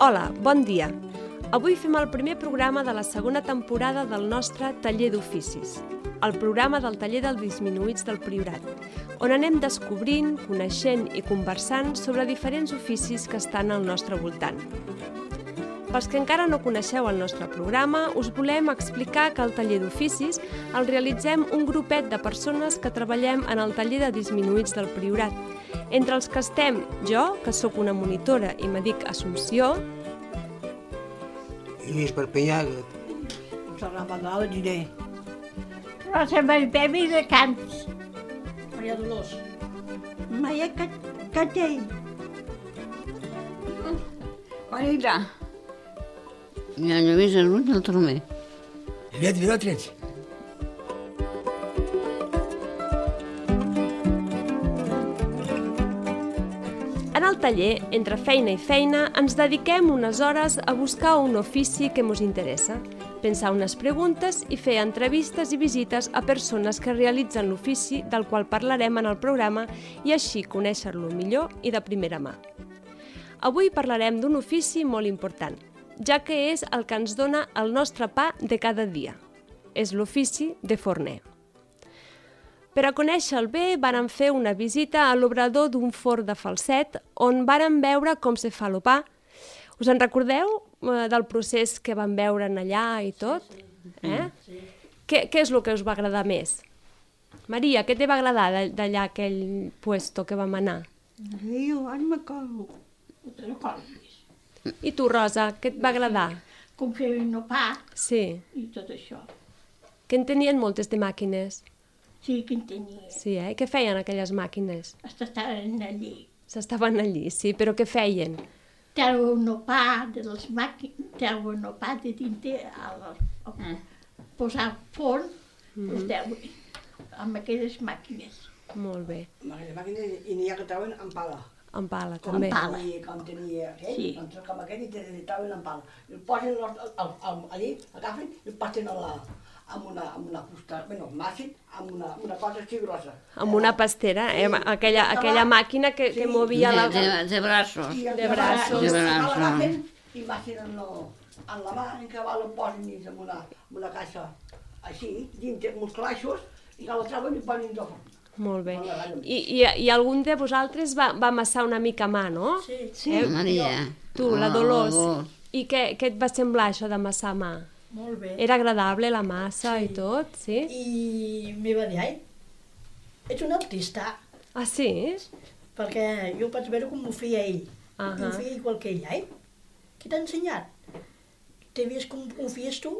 Hola, bon dia. Avui fem el primer programa de la segona temporada del nostre Taller d'Oficis, el programa del Taller dels Disminuïts del Priorat, on anem descobrint, coneixent i conversant sobre diferents oficis que estan al nostre voltant. Pels que encara no coneixeu el nostre programa, us volem explicar que el Taller d'Oficis el realitzem un grupet de persones que treballem en el Taller de Disminuïts del Priorat, entre els que estem jo, que sóc una monitora i me dic Assumpció, Lluís Perpinyà. Serà Magal Giner. Rosa Maripemi de Camps. Maria Dolors. Maia Catell. Juanita. I el Lluís Rull del Tromer. Lluís Vilatrets. En el taller, entre feina i feina, ens dediquem unes hores a buscar un ofici que ens interessa, pensar unes preguntes i fer entrevistes i visites a persones que realitzen l'ofici del qual parlarem en el programa i així conèixer-lo millor i de primera mà. Avui parlarem d'un ofici molt important, ja que és el que ens dona el nostre pa de cada dia. És l'ofici de forner. Per a conèixer-lo bé, vàrem fer una visita a l'obrador d'un forn de Falset, on vàrem veure com se fa el pa. Us en recordeu del procés que vam veure allà i tot? Sí. Què és el que us va agradar més? Maria, què te va agradar d'allà aquell puesto que vam anar? Jo ara m'acordo. I tu, Rosa, què et va agradar? Com fer un pa Sí. i tot això. Que en tenien moltes de màquines. Sí, que en tenia. Sí, Què feien aquelles màquines? Estaven allí. S'estaven allí, sí, però què feien? Treuen el pa de les màquines, treuen el pa de dintre, posar al forn, el treuen amb aquelles màquines. Molt bé. Aquelles màquines i n'hi ha que treuen en pala. En pala, també. pala. Com tenia aquell, Sí. doncs com aquell i treuen en pala. I el posen allí, agafen i el passen amb una fusta, bueno, màxim, amb una cosa així grossa. Amb una pastera, aquella màquina que movia la... De braços. De braços. De braços. L'agafen i baixen en la mà, en què el posen dins en una caixa així, dintre amb uns calaixos, i que la treuen i posen dins el forn. Molt bé. I algun de vosaltres va amassar una mica a mà, no? Sí. Maria. Tu, la Dolors. I què et va semblar això d'amassar a mà? Molt bé. Era agradable la massa i tot, sí? I m'hi va dir, ai, ets un artista, Ah, sí? perquè jo vaig veure com ho feia ell. Ahà. Ho feia igual que ell, ai. Qui t'ha ensenyat? T'he vist com ho feies tu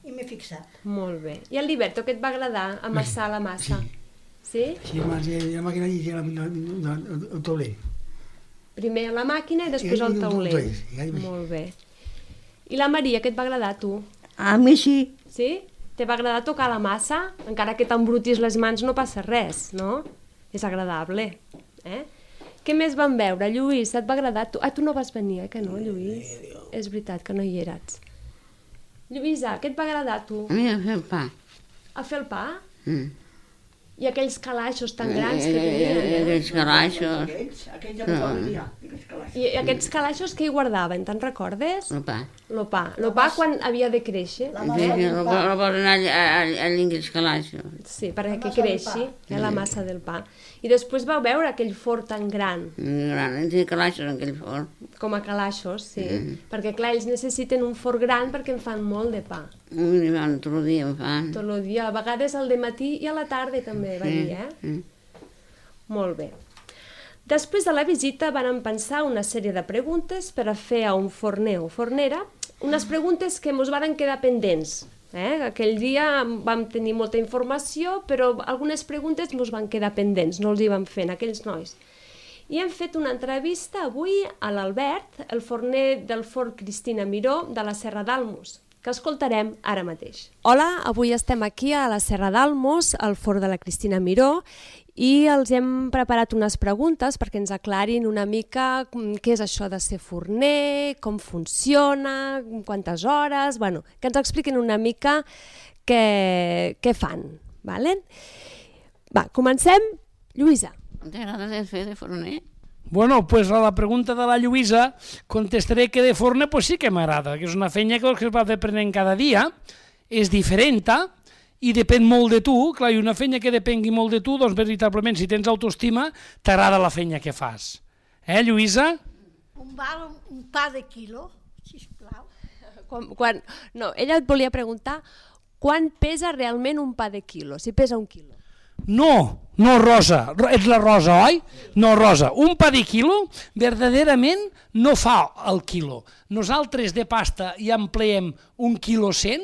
i m'he fixat. Molt bé. I el Liberto, què et va agradar amassar la massa? Sí? Sí, la màquina allí, el tauler. Primer la màquina i després el tauler. Molt bé. I la Maria, què et va agradar a tu? A mi sí. Sí? Te va agradar tocar la massa? Encara que t'embrutis les mans no passa res, no? És agradable. Què més vam veure? Lluís, et va agradar? Tu no vas venir, que no, Lluís? És veritat que no hi eres. Lluïsa, què et va agradar a tu? A mi a fer el pa. A fer el pa? Mm. I aquells calaixos tan grans que tenien, Aquells calaixos. Aquells ja no poden dir, aquells calaixos. I aquests calaixos què hi guardaven, te'n recordes? El pa. El pa. El pa quan havia de créixer. El posen a aquells calaixos. Sí, perquè creixi, la massa del pa. I després vau veure aquell forn tan gran, Gran, té calaixos en aquell forn. com a calaixos, sí. Perquè, clar, ells necessiten un forn gran perquè en fan molt de pa. Tot el dia en fan. Tot el dia, a vegades al matí i a la tarda també, va dir, Molt bé. Després de la visita vàrem pensar una sèrie de preguntes per a fer a un forner o fornera, unes preguntes que ens varen quedar pendents. Aquell dia vam tenir molta informació, però algunes preguntes ens van quedar pendents, no els hi vam fer a aquells nois. I hem fet una entrevista avui a l'Albert, el forner del forn Cristina Miró de la Serra d'Almos, que escoltarem ara mateix. Hola, avui estem aquí a la Serra d'Almos, al forn de la Cristina Miró, i els hem preparat unes preguntes perquè ens aclarin una mica què és això de ser forner, com funciona, quantes hores, que ens expliquin una mica què fan. Va, comencem. Lluïsa. T'agrada fer de forner? Bueno, pues a la pregunta de la Lluïsa contestaré que de forn pues sí que m'agrada, que és una feina que es va fer aprenent cada dia, és diferent i depèn molt de tu. Clar, i una feina que depengui molt de tu, doncs veritablement, si tens autoestima, t'agrada la feina que fas. Lluïsa? On val un pa de quilo, sisplau? No, ella et volia preguntar quan pesa realment un pa de quilo, si pesa un quilo. No, Rosa, ets la Rosa, oi? No, Rosa, un pa de quilo verdaderament no fa el quilo. Nosaltres de pasta hi empleem 1 quilo 100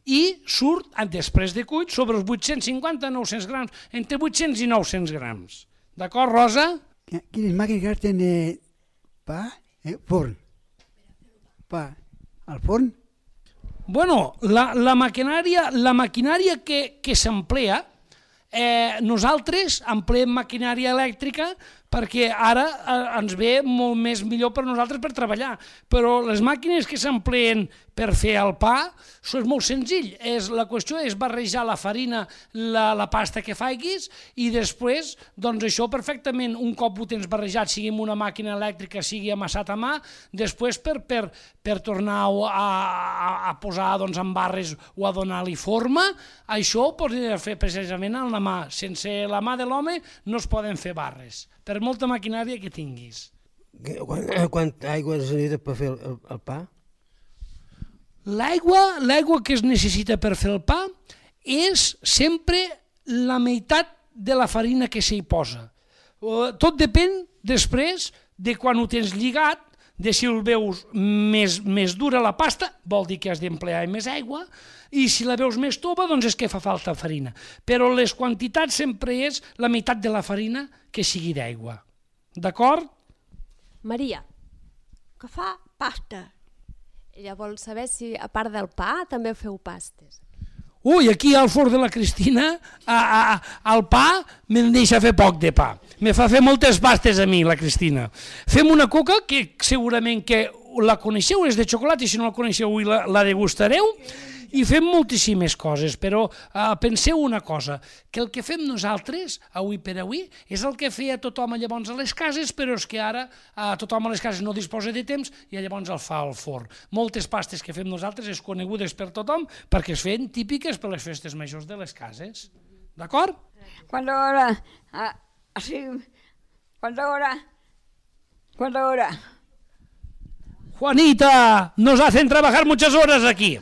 i surt, després de cuit, sobre els 850-900 grams, entre 800 i 900 grams. D'acord, Rosa? Quines màquines que tenen pa? Forn. Pa al forn? Bueno, la maquinària que s'emplea, nosaltres empleem maquinària elèctrica perquè ara ens ve molt més millor per nosaltres per treballar, però les màquines que s'empleen per fer el pa és molt senzill. La qüestió és barrejar la farina, la pasta que facis i després, doncs això perfectament, un cop ho tens barrejat, sigui amb una màquina elèctrica, sigui amassat a mà, després per tornar a posar en barres o a donar-li forma, això ho pots fer precisament amb la mà. Sense la mà de l'home no es poden fer barres, per molta maquinària que tinguis. Quanta aigua es necessita per fer el pa? L'aigua que es necessita per fer el pa és sempre la meitat de la farina que s'hi posa. Tot depèn després de quan ho tens lligat, de si el veus més dura la pasta, vol dir que has d'emplear més aigua, i si la veus més tova, doncs és que fa falta farina. Però les quantitats sempre és la meitat de la farina que sigui d'aigua. D'acord? Maria. Que fa pasta. Ella vol saber si, a part del pa, també feu pastes. Ui, aquí al forn de la Cristina, el pa me'n deixa fer poc de pa. Me fa fer moltes pastes a mi, la Cristina. Fem una coca que segurament que la coneixeu, és de xocolata, i si no la coneixeu avui la degustareu, i fem moltíssimes coses, però penseu una cosa, que el que fem nosaltres, avui per avui, és el que feia tothom llavors a les cases, però és que ara tothom a les cases no disposa de temps i llavors el fa al forn. Moltes pastes que fem nosaltres és conegudes per tothom perquè es feien típiques per les festes majors de les cases. D'acord? ¿Cuánta hora? Así. ¿Cuánta hora? ¿Cuánta hora? Juanita, nos hacen trabajar muchas horas aquí.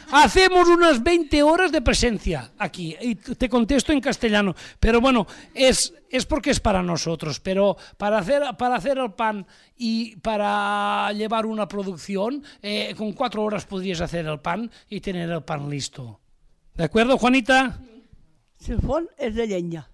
Hacemos unas 20 horas de presencia aquí, y te contesto en castellano, pero bueno, es porque es para nosotros, pero para hacer el pan y para llevar una producción, con 4 horas podrías hacer el pan y tener el pan listo. ¿De acuerdo, Juanita? Si el forn és de llenya.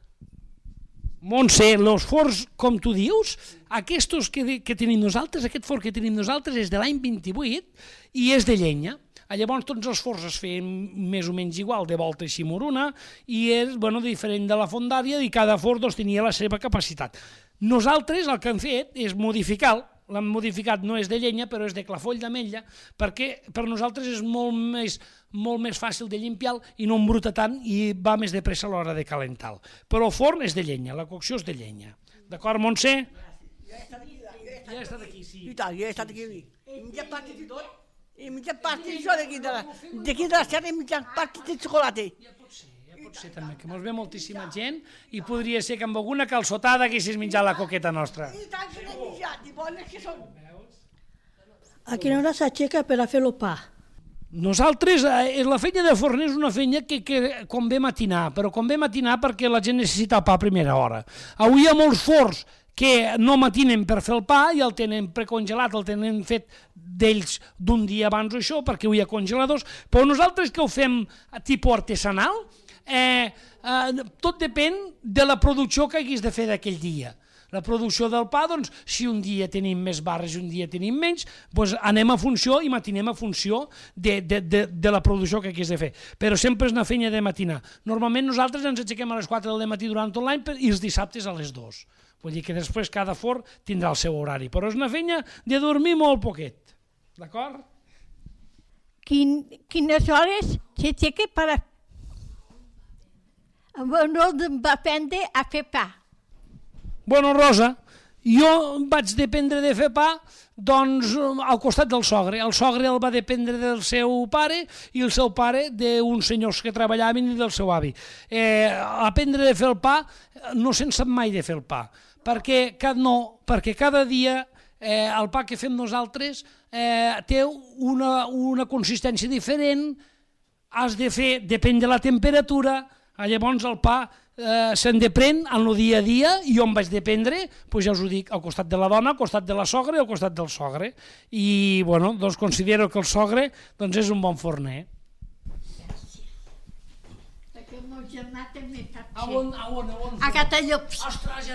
Montse, els forns, com tu dius, aquests que tenim nosaltres, aquest forn que tenim nosaltres és de l'any 28 i és de llenya. Llavors tots els forns es feien més o menys igual, de volta així moruna, i és diferent de la fondària i cada forn tenia la seva capacitat. Nosaltres el que hem fet és modificar, l'hem modificat, no és de llenya però és de clafoll d'ametlla, perquè per nosaltres és molt més fàcil de limpiar i no embruta tant i va més de pressa a l'hora de calentar. Però el forn és de llenya, la cocció és de llenya. D'acord, Montse? Ja he estat aquí, sí. I tant, ja he estat aquí. I mitja pastis i tot. I mitja pastis això d'aquí de la serra i mitja pastis de xocolata. Ja pot ser també, que mos ve moltíssima gent i podria ser que amb alguna calçotada haguessis menjat la coqueta nostra. I tant que n'he menjat, i bones que són. A quina hora s'aixeca per a fer el pa? Nosaltres, la feina de forner és una feina que convé matinar, però convé matinar perquè la gent necessita el pa a primera hora. Avui hi ha molts forns que no matinen per fer el pa i el tenen precongelat, el tenen fet d'ells d'un dia abans o això, perquè avui hi ha congeladors, però nosaltres que ho fem a tipus artesanal, tot depèn de la producció que haguis de fer d'aquell dia. La producció del pa, doncs, si un dia tenim més barres i un dia tenim menys, doncs anem a funció i matinem a funció de la producció que hagués de fer. Però sempre és una feina de matinar. Normalment nosaltres ens aixequem a les 4 del matí durant tot l'any i els dissabtes a les 2. Vull dir que després cada forn tindrà el seu horari, però és una feina de dormir molt poquet. D'acord? Quines hores s'aixeca per a... No va aprendre a fer pa. Bueno, Rosa, Jo vaig dependre de fer pa doncs, al costat del sogre. El sogre el va dependre del seu pare i el seu pare d'uns senyors que treballaven i del seu avi. Aprendre de fer el pa no se'n sap mai de fer el pa, perquè cada dia el pa que fem nosaltres té una consistència diferent, has de fer, depèn de la temperatura, llavors el pa se'n depèn en el dia a dia, i jo em vaig dependre, doncs ja us ho dic, al costat de la dona, al costat de la sogra i al costat del sogre. I bueno, doncs considero que el sogre doncs és un bon forner. Perquè el meu germà també fa A on? A Gratallops. Ostres, ja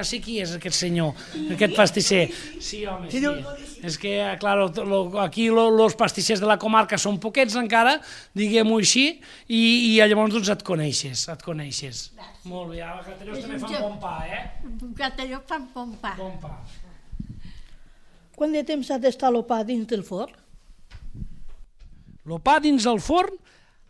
sé qui és aquest senyor, aquest pastisser. Sí, home, sí. És que, clar, aquí els pastissers de la comarca són poquets encara, diguem-ho així, i llavors doncs et coneixes. Molt bé, a Gratallops també fan bon pa, A Gratallops fan bon pa. Bon pa. Quant de temps ha d'estar el pa dins del forn? El pa dins el forn,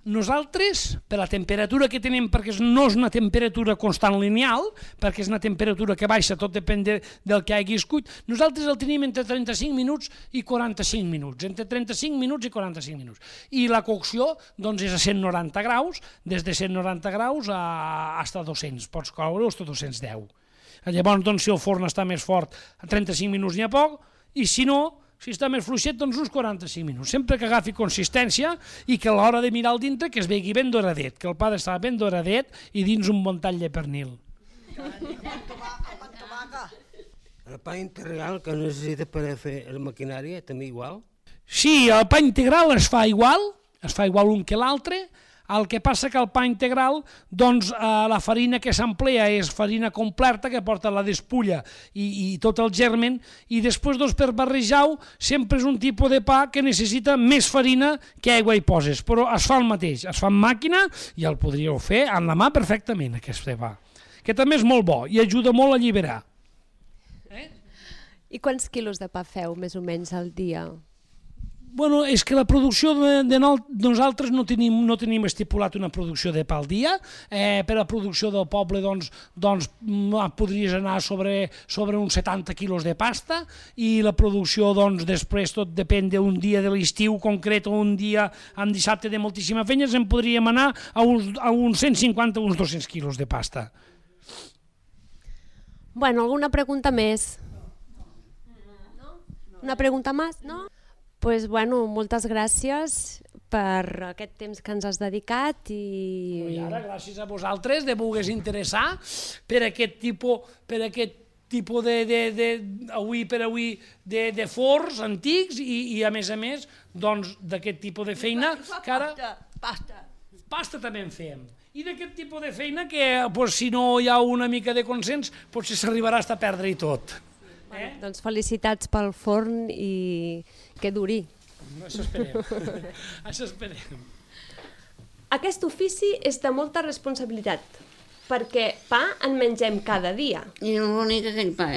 nosaltres, per la temperatura que tenim, perquè no és una temperatura constant lineal, perquè és una temperatura que baixa, tot depèn del que haguis cuit, nosaltres el tenim entre 35 minuts i 45 minuts, entre 35 minuts i 45 minuts. I la cocció doncs, és a 190 graus, des de 190 graus fins a 200, pots coure fins a 210. Llavors, doncs, si el forn està més fort, a 35 minuts n'hi ha poc, i si no, si està més fluixet, doncs uns 45 minuts. Sempre que agafi consistència i que a l'hora de mirar al dintre que es vegi ben doradet, que el pa està ben doradet i dins un bon tall de pernil. El pa integral que necessita per fer la maquinària també igual? Sí, el pa integral es fa igual un que l'altre. El que passa que el pa integral, doncs la farina que s'emplea és farina completa que porta la despulla i tot el germen, i després doncs, per barrejar-ho sempre és un tipus de pa que necessita més farina que aigua hi poses, però es fa el mateix, es fa en màquina i el podríeu fer en la mà perfectament, aquest pa, que també és molt bo i ajuda molt a alliberar. I quants quilos de pa feu més o menys al dia? Bueno, és que la producció de nosaltres no tenim estipulat una producció de pa al dia. Per la producció del poble doncs podries anar sobre uns 70 quilos de pasta, i la producció doncs després tot depèn d'un dia de l'estiu concret o un dia amb dissabte de moltíssima feina, en podríem anar a uns 150 o uns 200 quilos de pasta. Bueno, alguna pregunta més? Una pregunta més, no? Pues, bueno, moltes gràcies per aquest temps que ens has dedicat I ara, gràcies a vosaltres de voler interessar per aquest tipus de forns antics i a més d'aquest tipus de feina que ara... Pasta també en fem. I d'aquest tipus de feina que si no hi ha una mica de consens potser s'arribarà a perdre-hi tot. Doncs felicitats pel forn i que duri. Això esperem. Aquest ofici és de molta responsabilitat, perquè pa en mengem cada dia. I és bonic aquell pa,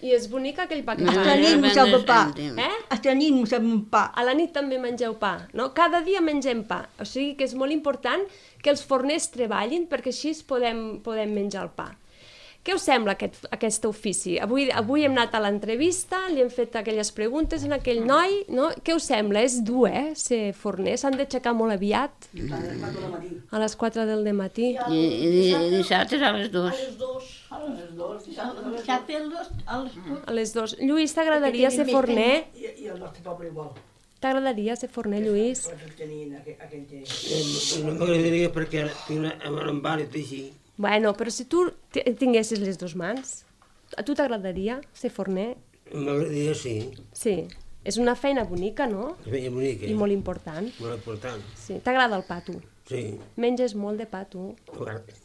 I és bonic aquell pa que A la nit mengeu pa. A la nit mengem pa. A la nit també mengeu pa, no? Cada dia mengem pa, o sigui que és molt important que els forners treballin perquè així podem menjar el pa. Què us sembla aquest ofici? Avui hem anat a l'entrevista, li hem fet aquelles preguntes a aquell noi, no? Què us sembla? És dur, ser forner? S'han d'aixecar molt aviat? A les 4 del matí. I dissabtes a les 2. A les 2. Lluís, t'agradaria ser forner? I el nostre poble igual. T'agradaria ser forner, Lluís? No m'agradaria perquè tinc una embarra així. Bueno, però si tu tinguessis les dues mans, a tu t'agradaria ser forner? M'agradaria, sí. Sí. És una feina bonica, no? Feina bonica. I molt important. Molt important. Sí. T'agrada el pa, tu? Sí. Menges molt de pa, tu?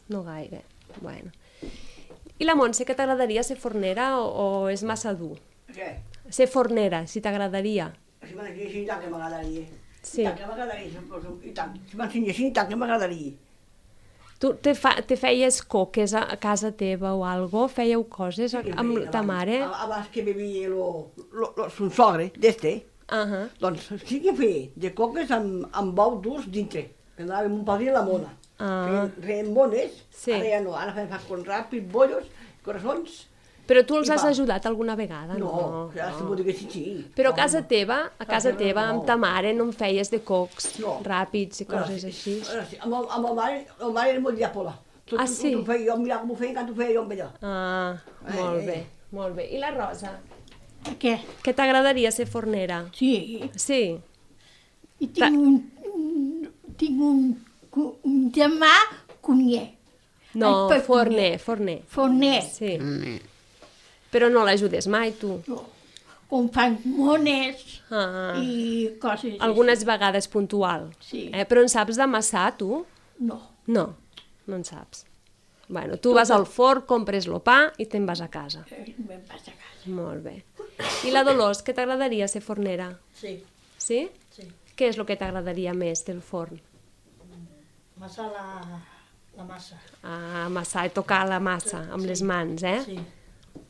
No gaire. Bueno. I la Montse, que t'agradaria ser fornera o és massa dur? Què? Ser fornera, si t'agradaria. Si m'ensenyessin, i tant que m'agradaria. Sí. I tant que m'agradaria, i tant. Si m'ensenyessin, i tant que m'agradaria. Tu te feies coques a casa teva o algo? Fèieu coses amb ta mare? Abans que vivia son sogre, d'este, doncs sí que feia de coques amb bous durs dintre. Anàvem un padrí a la mona. Feien bones, ara ja no, ara fem con ràpid, bollos, coraçons, Però tu els I has pa. ajudat alguna vegada? No, ja si m'ho diguessin, sí. Però a casa teva, amb no. ta mare, no en feies de cocs No. ràpids i coses així? Sí. Amb el mare era molt llàpola. Ah, sí? Ho feia jo, mira com ho feia, que ho feia jo amb ella. Ah, molt bé, molt bé. I la Rosa? Què? Que t'agradaria ser fornera? Sí. Sí? I tinc un germà cunyer. No, Ai, forner. Forner. Sí. Però no l'ajudes mai, tu? Com fan mones Ah. i coses Algunes vegades puntual. Sí. Però en saps d'amassar, tu? així. No. No, no en saps. Bueno, tu vas al forn, compres el pa i te'n vas a casa. Me'n vaig a casa. Molt bé. I la Dolors, que t'agradaria ser fornera? Sí, Sí? sí. Què és el que t'agradaria més del forn? Amassar la massa. Ah, amassar i tocar la massa amb les mans, eh? Sí.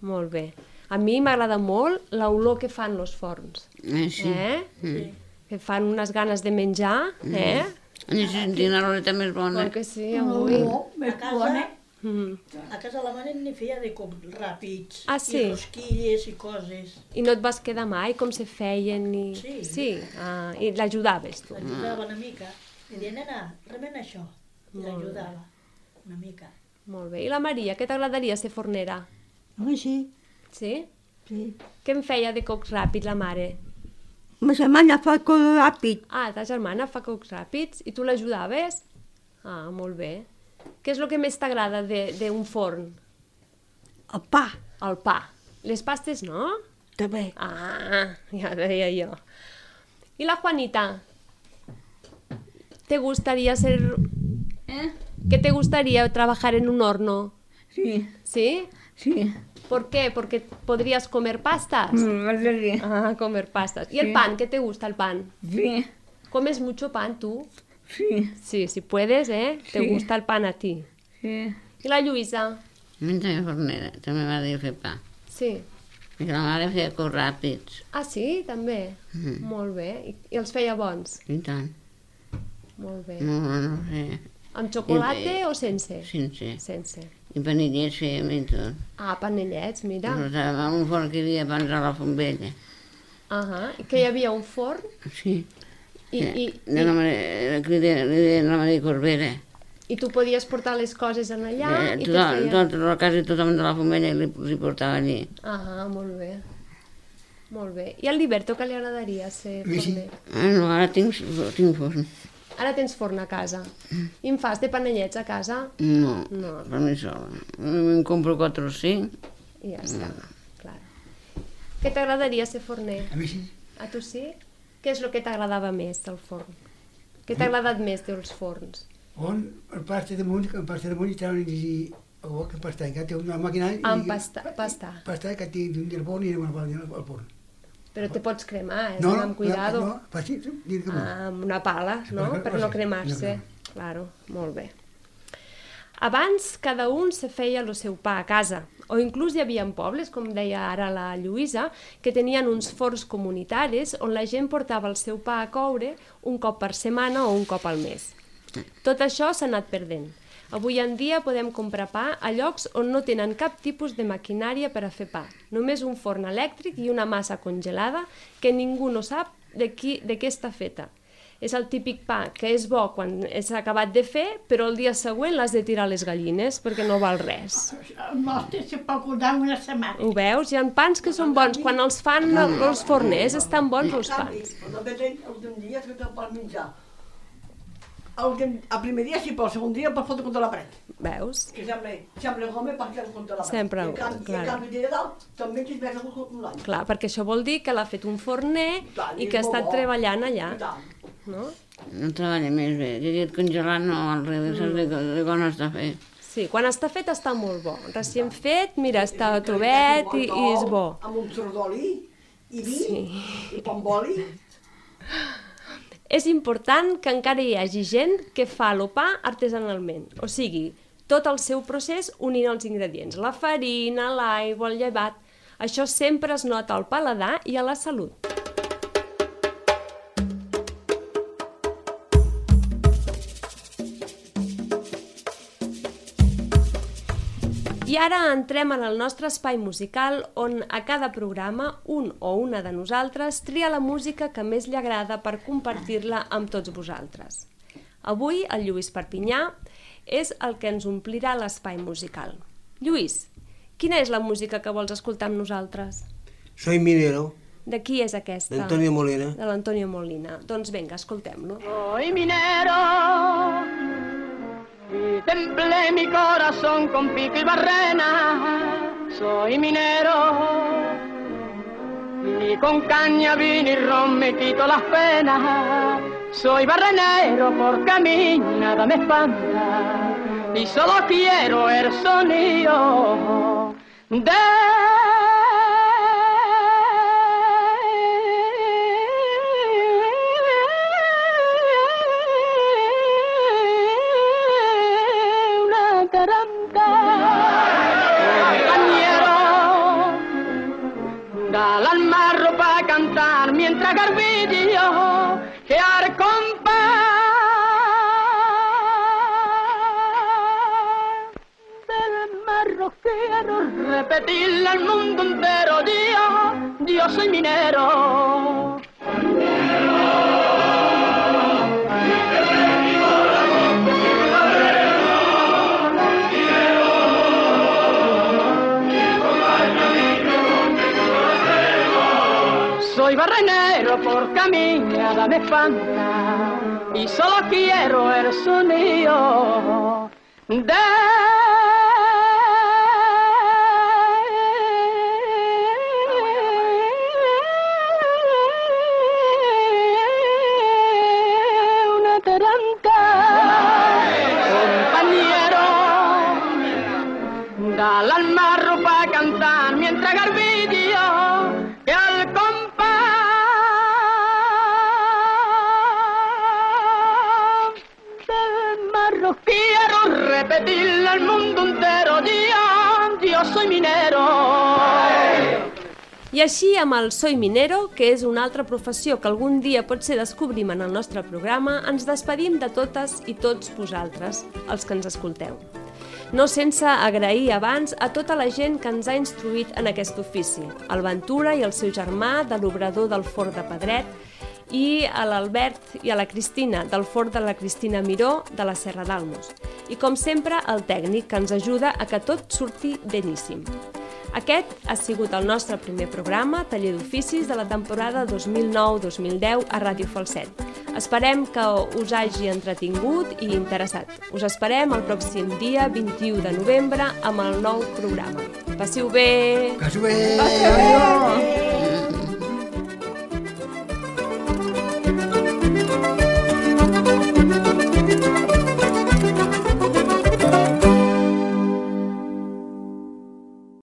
Molt bé. A mi m'agrada molt l'olor que fan els forns. Sí. Que fan unes ganes de menjar, Ni sentim l'oleta més bona. Oi que sí, avui? No, més bona. A casa la mare n'hi feia de com ràpids. Ah, sí? I rosquilles i coses. I no et vas quedar mai com se feien? Sí. Sí? Ah, i l'ajudaves, tu? L'ajudava una mica. I deia, nena, remena això. I l'ajudava una mica. Molt bé. I la Maria, què t'agradaria ser fornera? Home, sí, Sí? sí. Què en feia de cocs ràpids la mare? Ma germana fa cosa ràpid. Ah, ta germana fa cocs ràpids i tu l'ajudaves? Ah, molt bé. Què és el que més t'agrada d'un forn? El pa, El pa. Les pastes no? també. Ah, ja deia jo. I la Juanita? ¿Te gustaría ser... ¿Qué te gustaría trabajar en un horno? Sí, ¿Sí? sí. ¿Por qué? Porque podrías comer pastas. M'agradaria. Ah, comer pastas. ¿Y el pan? ¿Qué te gusta el pan? Sí, ¿Comes mucho pan tú? sí, Sí, si puedes, ¿eh? Te Sí. gusta el pan a ti. sí. I la Lluïsa? Mentre fornera, també m'agradaria fer pa. Sí. Perquè la mare feia cocs ràpids. Ah, sí? També? Molt bé. I els feia bons? I tant. Molt bé. No sé. Amb xocolata o sense? Sense. Sense. I panellets fèiem i tot. Ah, panellets, mira. Però estava en un forn que hi havia abans a la font vella. I que hi havia un forn Sí. i De la Maria, li deien la Maria Corbera. tu podies portar les coses en allà i te feia... Tota la casa i tothom de la font vella li portava allí. Ah, molt bé. Molt bé. I al Liberto què li agradaria ser forner? No, ara tinc forn. Ara tens forn a casa. I em fas de panellets a casa? No, No. per mi sola. Em compro 4 o 5. I ja està, clar. Què t'agradaria ser forner? A mi sí. A tu sí? Què és el que t'agradava més del forn? Què t'ha agradat més dels forns? On el pasta damunt, que el pasta damunt i estaven a dir que pasta, que té una màquina i... Pastar. Pasta que té d'un del forn i una al forn. Però te pots cremar, No, amb cuidado. no, fàcil, dir que Amb una pala, no? Sí, Per no cremar-se. Claro, molt bé. Abans cada un se feia el seu pa a casa, o inclús hi havia pobles, com deia ara la Lluïsa, que tenien uns forns comunitaris on la gent portava el seu pa a coure un cop per setmana o un cop al mes. Tot això s'ha anat perdent. Avui en dia podem comprar pa a llocs on no tenen cap tipus de maquinària per a fer pa. Només un forn elèctric i una massa congelada que ningú no sap de què està feta. És el típic pa que és bo quan s'ha acabat de fer, però el dia següent l'has de tirar a les gallines perquè no val res. El nostre se pot guardar una setmana. Ho veus? Hi ha pans que són bons. Quan els fan els forners estan bons els pans. Però també l'últim dia que te'l pots menjar. El primer dia sí, però el segon dia el pots fotre contra la paret. Veus? Que sembla home perquè contra la paret. Sempre, I en clar. canvi de dalt també t'hi veus un any. Clar, perquè això vol dir que l'ha fet un forner i que ha estat treballant allà. No? No treballa més bé. Que aquest congelat no, al revés, de quan està fet. Sí, quan està fet està molt bo. Recient fet, mira, està tovet i és bo. Amb un tros d'oli i vi i pa amb oli. És important que encara hi hagi gent que fa el pa artesanalment, o sigui, tot el seu procés unint els ingredients, la farina, l'aigua, el llevat. Això sempre es nota al paladar i a la salut. I I ara entrem en el nostre espai musical on a cada programa un o una de nosaltres tria la música que més li agrada per compartir-la amb tots vosaltres. Avui el Lluís Perpinyà és el que ens omplirà l'espai musical. Lluís, quina és la música que vols escoltar amb nosaltres? Soy minero. De qui és aquesta? De Antonio Molina. De l'Antonio Molina. Doncs vinga, escoltem-lo. Soy minero y templé mi corazón con pico y barrena. Soy minero y con caña, vino y ron me quito las penas. Soy barrenero porque a mí nada me espanta y solo quiero el sonido de dale al marro pa' cantar mientras garbillo que al compás del marro quiero repetirle al mundo entero yo soy minero. Soy barrenero porque a mí nada me espanta y solo quiero el sonido de una taranca. Compañero, dale al marro pa' cantar mientras garbillo que al quiero repetirle al mundo entero, yo soy minero. I així, amb el Soy Minero, que és una altra professió que algun dia potser descobrim en el nostre programa, ens despedim de totes i tots vosaltres, els que ens escolteu. No sense agrair abans a tota la gent que ens ha instruït en aquest ofici, al Ventura i el seu germà de l'obrador del Forn de Pedret, i a l'Albert i a la Cristina, del Forn de la Cristina Miró, de la Serra d'Almos. I com sempre, el tècnic, que ens ajuda a que tot surti beníssim. Aquest ha sigut el nostre primer programa, Taller d'Oficis, de la temporada 2009-2010 a Ràdio Falset. Esperem que us hagi entretingut i interessat. Us esperem el pròxim dia 21 de novembre amb el nou programa. Passiu bé! Passiu bé! Passiu bé!